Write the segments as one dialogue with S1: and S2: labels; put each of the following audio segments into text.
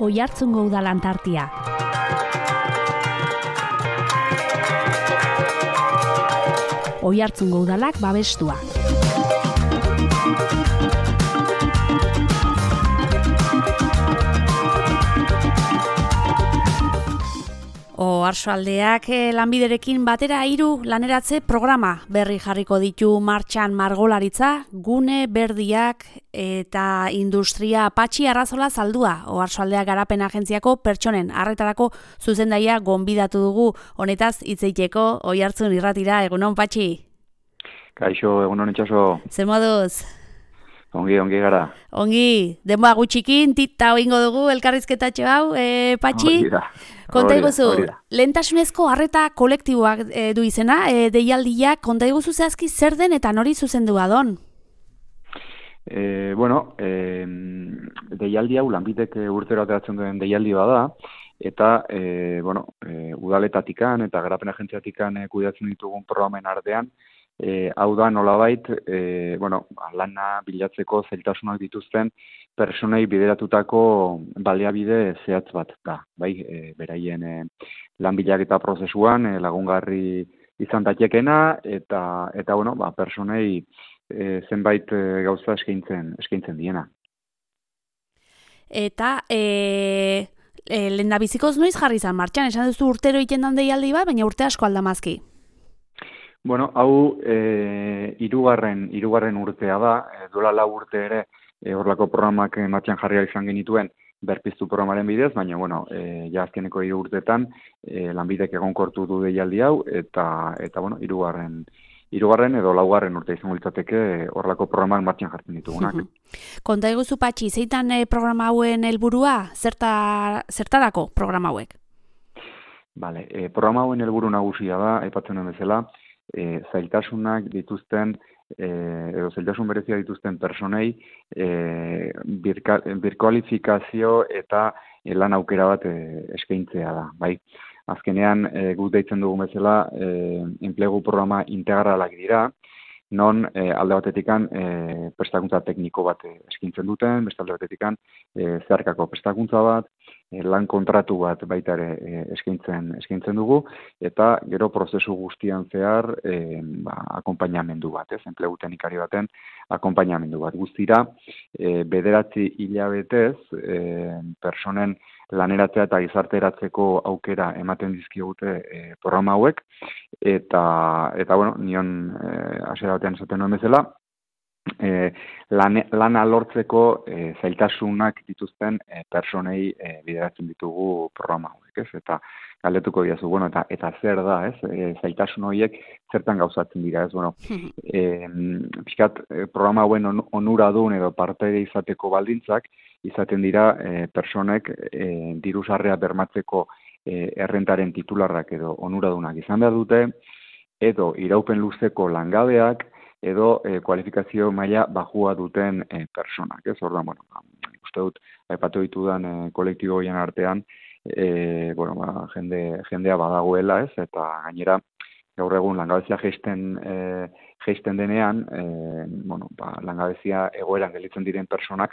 S1: Oiartzungo udalan tartia. Oiartzungo udalak babestua. Oarsoaldeak lanbiderekin batera 3 laneratze programa berri jarriko ditu martxan margolaritza, gune berdiak eta industria Patxi Arrazola Zaldua. Oarsoaldeak garapen agentziako pertsonen arretarako zuzendaia gonbidatu dugu, honetaz hitz egiteko Oiartzun irratira. Egunon, Patxi?
S2: Kaixo, egunon itxaso.
S1: Zer moduz?
S2: Ongi gara.
S1: Ongi, denboa gutxikin, tita oingo dugu elkarrizketatxo hau, Patxi? Konta iguzu, lehentasunezko arreta kolektiboak du izena, deialdiak, konta iguzu zehazki zer den eta nori zuzendu adon?
S2: Deialdi hau lanbidek urtero ateratzen duen deialdi bada, eta udaletatikan eta garapen agentziatikan kudeatzen ditugun programen artean, hau da nolabait, lana bilatzeko zailtasunak dituzten personei bideratutako baliabide zehatz bat da, bai, beraien lan bilaketa prozesuan lagungarri izan daitekeena eta personei zenbait gauza eskaintzen diena.
S1: Eta lehendabizikoz noiz jarri izan martxan, esan duzu urtero egiten dan deialdi bat, baina urte asko aldamazki.
S2: Hau hirugarren urtea da, duela 4 urte ere horrelako programak martxan jarri izan genituen berpiztu programaren bidez, baina ja azkeneko 3 urteetan lanbidek egonkortu du deialdi hau eta hirugarren edo 4. urte izango litzateke horrelako programak martxan jartzen ditugunak.
S1: Konta iguzu, Patxi, zeitan programa hauen helburua? Zertarako programa hauek?
S2: Programa hauen helburu nagusia da, aipatzen den bezala, zailtasunak dituzten edo zailtasun berezia dituzten personei birkualifikazio eta lan aukera bat eskaintzea da, bai. Azkenean guk deitzen dugun bezala enplegu programa integralak dira, non alde batetikan prestakuntza tekniko bat eskaintzen duten, beste alde batetikan zeharkako prestakuntza bat, lan kontratu bat baita ere eskaintzen dugu, eta gero prozesu guztian zehar akonpainamendu bat, enplegu teknikari baten akonpainamendu bat. Guztira, 9 hilabetez personen laneratzea eta gizarteratzeko aukera ematen dizkigute programa hauek, eta nion hasiera batean esaten nuen bezala, lana lortzeko zailtasunak dituzten personei bideratzen ditugu programa hauek, ez? Eta galdetuko diazu, eta zer da, ez? Zailtasun horiek zertan gauzatzen dira, ez? Pixkat programa hauen onuradun edo partaide izateko baldintzak izaten dira personek diru-sarrea bermatzeko errentaren titularrak edo onuradunak izan behar dute, edo iraupen luzeko langabeak, edo kualifikazio maila bajua duten personak, ez? Orduan, uste dut, aipatu ditudan kolektibo horien artean, jendea badagoela, ez? Eta gainera, gaur egun langabezia jaisten denean, langabezia egoeran gelditzen diren personak,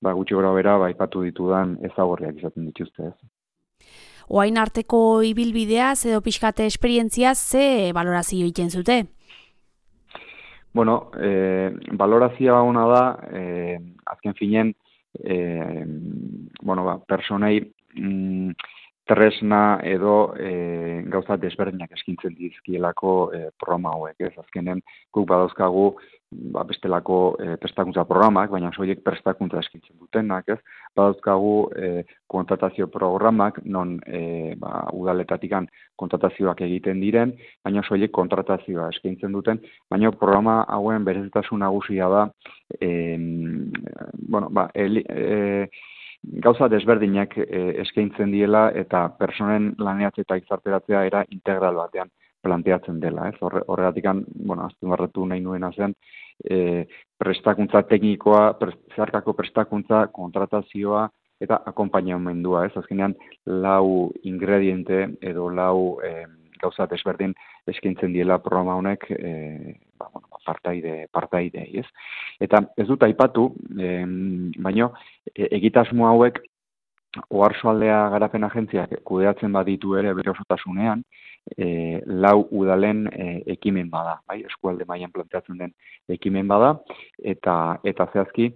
S2: gutxi gora bera, aipatu ditudan ezagorriak izaten dituzte, ez?
S1: Oain arteko ibilbideaz edo pixkate esperientziaz ze balorazio egiten zute?
S2: Balorazioa ona da, azken finen, personei tresna edo gauza desberdinak eskintzen dizkielako programa hauek, ez? Azkenen guk badauzkagu bestelako prestakuntza programak, baina soilik prestakuntza eskintzen dutenak, ez? Badauzkagu kontratazio programak, non udaletatikan kontratazioak egiten diren, baina soilik kontratazioa eskaintzen duten, baina programa hauen berezitasun nagusia da, gauza desberdinak eskaintzen diela eta personen laneratze eta gizarteratzea era integral batean planteatzen dela, ez? Horregatik, azpimarratu nahi nuena zen, prestakuntza teknikoa, zeharkako prestakuntza, kontratazioa eta akonpainamendua, ez? Azkenean 4 ingrediente edo 4 gauza desberdin eskaintzen diela programa honek partaidei, ez? Eta ez dut aipatu, baino egitasmo hauek Oarsoaldea Garapen Agentziak kudeatzen baditu ere bere osotasunean, 4 udalen ekimen bada, bai, eskualde mailan planteatzen den ekimen bada, eta zehazki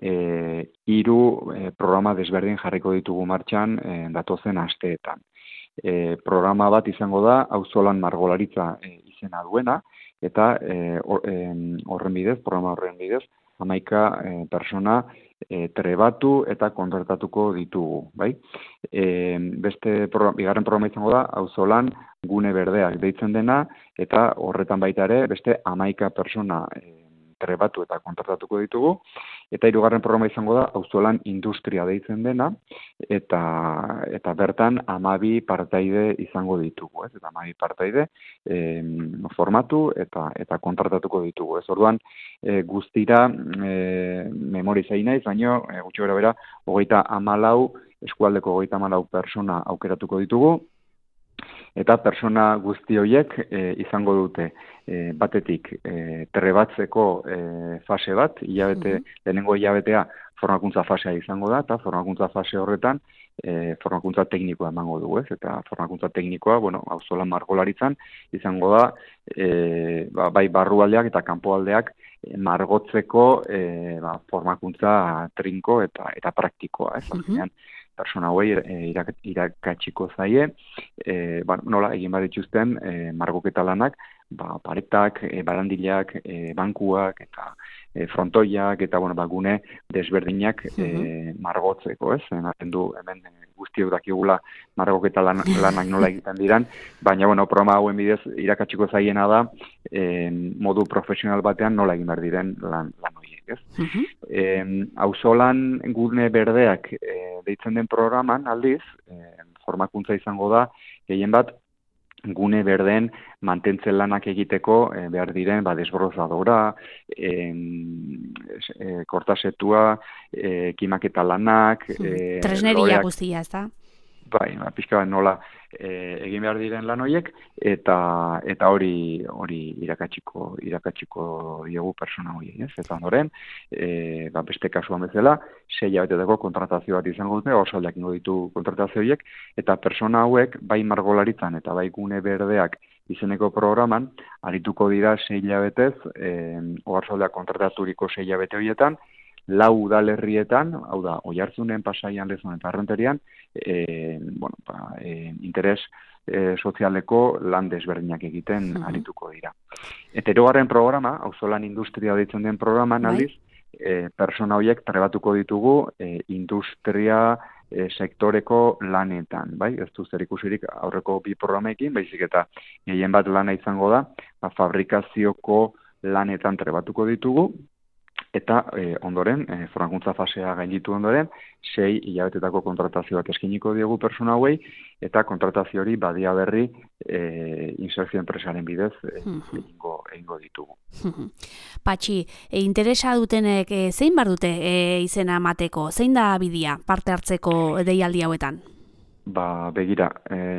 S2: 3 programa desberdin jarriko ditugu martxan datozen asteetan. Programa bat izango da auzolan margolaritza izena duena, eta programa horren bidez, 11 persona trebatu eta kontratatuko ditugu, bai? Bigarren programa izango da, auzolan gune berdeak deitzen dena, eta horretan baita ere, beste 11 persona trebatu eta kontratatuko ditugu, eta 3. programa izango da, auzolan industria deitzen dena, eta bertan 12 partaide izango ditugu, ez? Eta 12 partaide formatu eta kontratatuko ditugu, ez? Orduan, guztira memori zain naiz, baina gutxi gara bera, 34 eskualdeko 34 persona aukeratuko ditugu, eta persona guzti horiek izango dute batetik trebatzeko fase bat, lehenengo hilabetea formakuntza fasea izango da, eta formakuntza fase horretan formakuntza teknikoa emango dugu, ez? Eta formakuntza teknikoa, auzolan margolaritzan izango da, bai barrualdeak eta kanpoaldeak margotzeko formakuntza trinko eta praktikoa, ez? Azkenean, persona hauei irakatsiko zaie, nola egin badituzten margoketa lanak, paretak, barandilak, bankuak eta frontoiak eta gune desberdinak margotzeko, ez? Ematen du hemen guztiok dakigula margoketa lanak nola egiten diran, baina programa hauen bidez irakatsiko zaiena da modu profesional batean nola egin behar diren lan horiek, ez? Auzolan gune berdeak deitzen den programan aldiz, formakuntza izango da, gehien bat, gune berdeen mantentzen lanak egiteko behar diren desbrozadora, kortasetua, kimaketa lanak,
S1: tresneria guztia, ez da?
S2: Bai, pixka bat nola egin behar diren lan horiek, eta hori irakatsiko diogu persona horiek, ez? Eta ondoren, beste kasuan bezala, 6 hilabetetako kontratazio bat izango dute, osaldeak ingo ditu kontratazio horiek, eta persona hauek, bai margolaritzan eta bai gune berdeak izeneko programan, arituko dira 6 hilabetez, oarsoaldeak kontrataturiko 6 hilabete horietan, 4 udalerrietan, hau da, Oiartzunen, Pasaian, Lezon eta Arranterian, interes sozialeko lan desberdinak egiten arituko dira. Eta 3. programa, auzolan industria deitzen den programan, aldiz, persona horiek trebatuko ditugu industria sektoreko lanetan, bai? Ez du zer ikusirik aurreko 2 programekin, baizik eta gehien bat lana izango da, fabrikazioko lanetan trebatuko ditugu, eta ondoren, formakuntza fasea gainditu ondoren, 6 hilabetetako kontratazio bat eskiniko diegu persona hauei, eta kontratazio hori badia berri insertzio enpresaren bidez egingo ditugu.
S1: Patxi, interesa dutenek zein bar dute izena emateko? Zein da bidea parte hartzeko deialdi hauetan?
S2: Begira,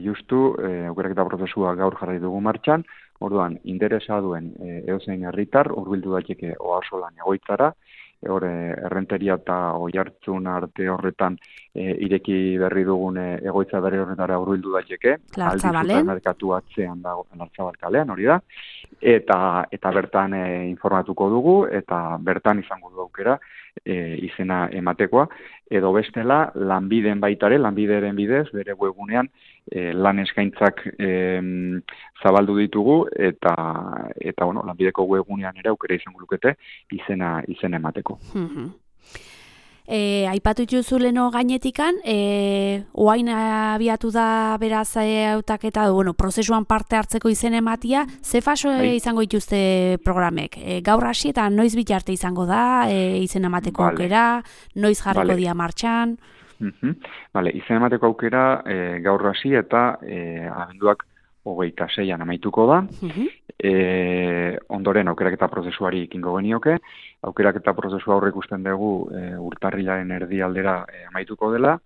S2: justu, aukeraketa prozesua gaur jarri dugu martxan, orduan, interesa duen edozein herritar hurbildu daiteke Oarsolan egoitzara, Errenteria eta Oiartzun arte horretan ireki berri dugun egoitza berri horretara hurbildu daiteke, aldi supermerkatu atzean dago Lartzabal kalean, hori da, eta bertan informatuko dugu, eta bertan izango du aukera izena ematekoa, edo bestela lanbideen baitare, lanbideren bidez, bere webgunean lan eskaintzak zabaldu ditugu, eta lanbideko webgunean ere aukera izango lukete izena emateko.
S1: Aipatu dituzu leno gainetikan, oain abiatu da beraz hautaketa, prozesuan parte hartzeko izen ematia, ze faso izango dituzte programek? Gaur hasi eta noiz bitarte izango da izen emateko aukera, noiz jarriko dia martxan?
S2: Izen emateko aukera gaur hasi eta abenduak 26an amaituko da. Ondoren aukeraketa prozesuari ekingo genioke. Aukeraketa prozesua aurre ikusten dugu urtarrilaren erdialdera amaituko dela.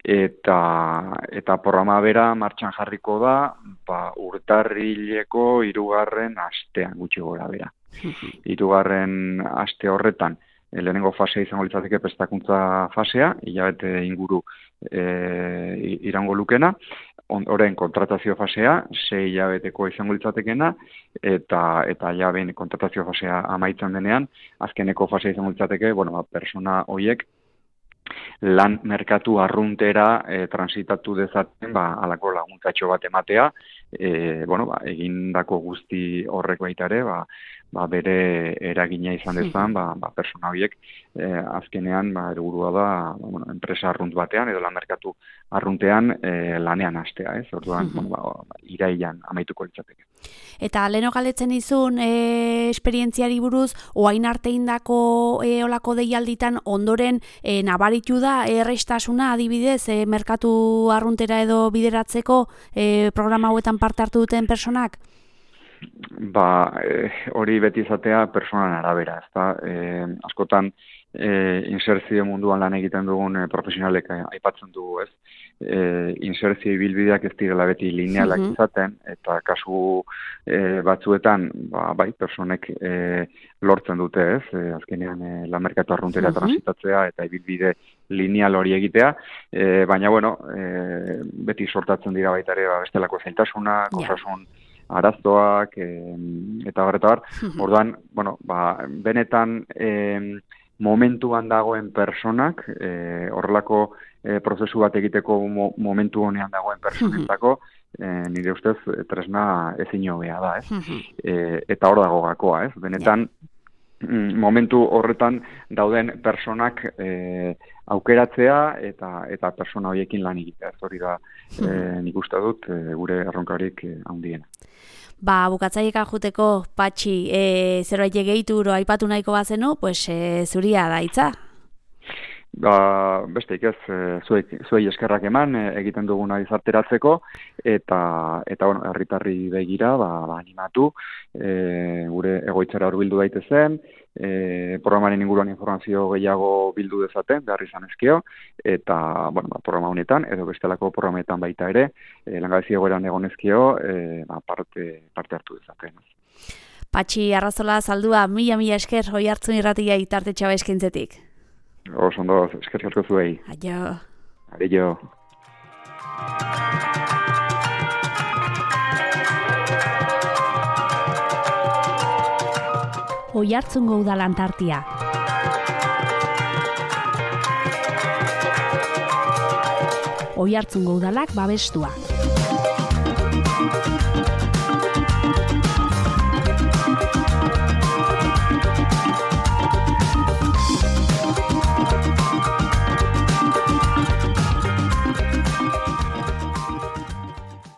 S2: Eta programa bera martxan jarriko da urtarrileko 3. astean gutxi gora bera. 3. aste horretan lehenengo fasea izango litzateke prestakuntza fasea, hilabete inguru irango lukena, orain kontratazio fasea, 6 hilabeteko izango litzatekena, eta ja behin kontratazio fasea amaitzen denean, azkeneko fasea izango litzateke, persona horiek lan merkatu arruntera transitatu dezaten, halako laguntzatxo bat ematea, egindako guzti horrek baita ere, bere eragina izan dezan, persona horiek azkenean helburua da enpresa arrunt batean edo lan merkatu arruntean lanean hastea, ez? Orduan, irailean amaituko litzateke.
S1: Eta leheno galdetzen izun esperientziari buruz, oain arte indako olako deialditan ondoren nabaritu da errestasuna adibidez merkatu arruntera edo bideratzeko programa hauetan parte hartu duten personak?
S2: Hori beti izatea personan arabera, ezta? Askotan inserzio munduan lan egiten dugun profesionalek aipatzen dugu, ez? Inserzio ibilbideak ez direla beti linealak izaten, eta kasu batzuetan, personek lortzen dute, ez? Azkenean lan merkatu arruntera transitatzea eta ibilbide lineal hori egitea, baina, beti sortatzen dira baita ere bestelako zailtasunak, osasun arazoak, eta bar. Orduan, benetan momentuan dagoen personak, horrelako prozesu bat egiteko momentu honean dagoen personentako, nire ustez tresna ezin hobea da, ez? Eta hor dago gakoa, ez? Benetan, momentu horretan dauden personak aukeratzea eta persona horiekin lan egitea. Ez hori da nik uste dut gure erronkarik handiena.
S1: Bukatzaieka juteko, Patxi, zerbait gehitu aipatu nahiko bazenu, zuria da hitza.
S2: Besteik ez, zuei eskerrak eman egiten duguna izarteratzeko, eta herritarri begira, animatu, gure egoitzara hurbildu daitezen, programaren inguruan informazio gehiago bildu dezaten, behar izan ezkeo, eta programa honetan, edo bestelako programetan baita ere, langabezi egoeran egon ezkeo, parte hartu dezaten.
S1: Patxi Arrazola Zaldua, mila esker Oihartzun Irratia Tartetxoa eskaintzetik.
S2: Oso ondo, eskerrik asko zuei.
S1: Aio.
S2: Aio.
S1: Oihartzungo Udalan tartia. Oihartzungo Udalak babestua.